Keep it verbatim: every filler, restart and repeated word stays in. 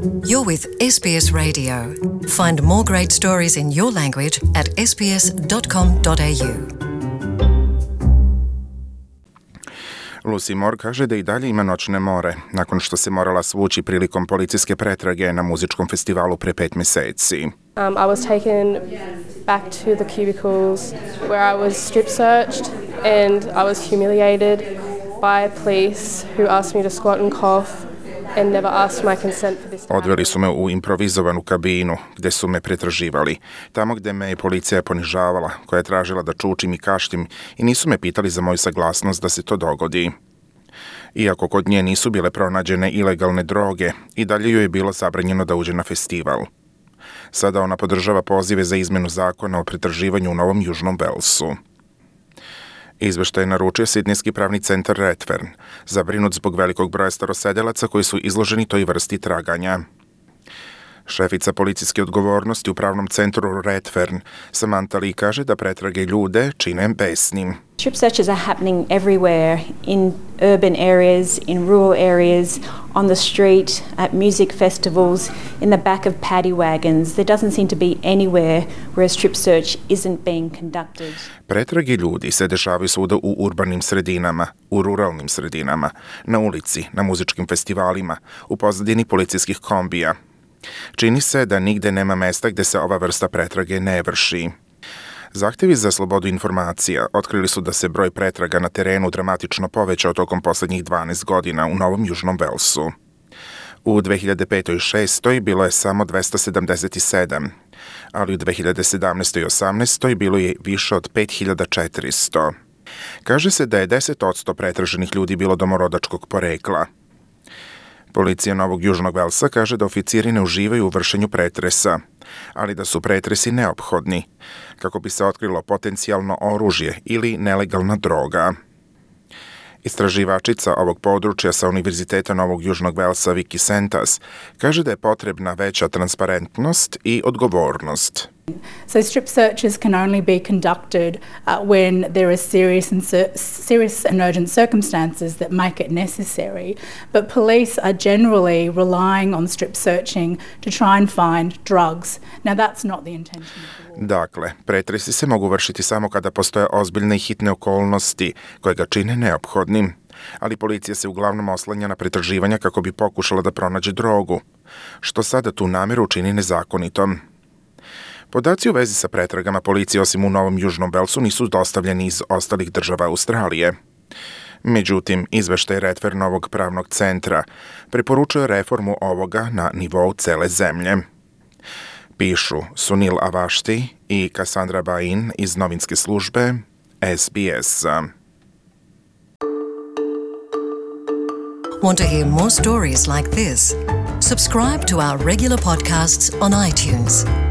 You're with S B S Radio. Find more great stories in your language at s b s dot com dot a u. Lucy Moore kaže da i dalje ima noćne more, nakon što se morala svući prilikom policijske pretrage na muzičkom festivalu pre pet meseci. Um, I was taken back to the cubicles where I was strip searched and I was humiliated by police who asked me to squat and cough and never asked my consent for this. Odveli su me u improvizovanu kabinu gde su me pretraživali, tamo gde me je policija ponižavala, koja je tražila da čučim i kaštim i nisu me pitali za moju saglasnost da se to dogodi. Iako kod nje nisu bile pronađene ilegalne droge, i dalje joj je bilo zabranjeno da uđe na festival. Sada ona podržava pozive za izmenu zakona o pretraživanju u Novom Južnom Velsu. Izveštaj je naručio Sidnejski pravni centar Redfern, zabrinut zbog velikog broja starosedelaca koji su izloženi toj vrsti traganja. Šefica policijske odgovornosti u pravnom centru Redfern, Samantha Lee, kaže da pretrage ljude čine besnim. Strip searches are happening everywhere, in urban areas, in rural areas, on the street, at music festivals, in the back of paddy wagons. There doesn't seem to be anywhere where a strip search isn't being conducted. Pretrage ljudi se dešavaju svuda u urbanim sredinama, u ruralnim sredinama, na ulici, na muzičkim festivalima, u pozadini policijskih kombija. Čini se da nigde nema mesta gde se ova vrsta pretrage ne vrši. Zahtevi za slobodu informacija otkrili su da se broj pretraga na terenu dramatično povećao tokom poslednjih dvanaest godina u Novom Južnom Velsu. U dve hiljade petoj i šestoj bilo je samo dvesta sedamdeset sedam, ali u dve hiljade sedamnaestoj i osamnaestoj bilo je više od pet hiljada četiristo. Kaže se da je deset posto pretraženih ljudi bilo domorodačkog porekla. Policija Novog Južnog Velsa kaže da oficiri ne uživaju u vršenju pretresa, ali da su pretresi neophodni, kako bi se otkrilo potencijalno oružje ili nelegalna droga. Istraživačica ovog područja sa Univerziteta Novog Južnog Velsa Vicky Sentas kaže da je potrebna veća transparentnost i odgovornost. So strip searches can only be conducted uh, when there are serious and cir- serious and urgent circumstances that make it necessary. But police are generally relying on strip searching to try and find drugs. Now that's not the intention of the law. Dakle, pretresi se mogu vršiti samo kada postoje ozbiljne i hitne okolnosti koje ga čine neophodnim, ali policija se uglavnom oslanja na pretraživanja kako bi pokušala da pronađe drogu, što sada tu nameru čini nezakonitom. Podaci u vezi sa pretragama policije osim u Novom Južnom Velsu nisu dostavljeni iz ostalih država Australije. Međutim, izveštaj Redfernovog pravnog centra preporučuje reformu ovoga na nivou cele zemlje. Pišu Sunil Avashti i Cassandra Bain iz novinske službe S B S. Want to hear more stories like this? Subscribe to our regular podcasts on iTunes.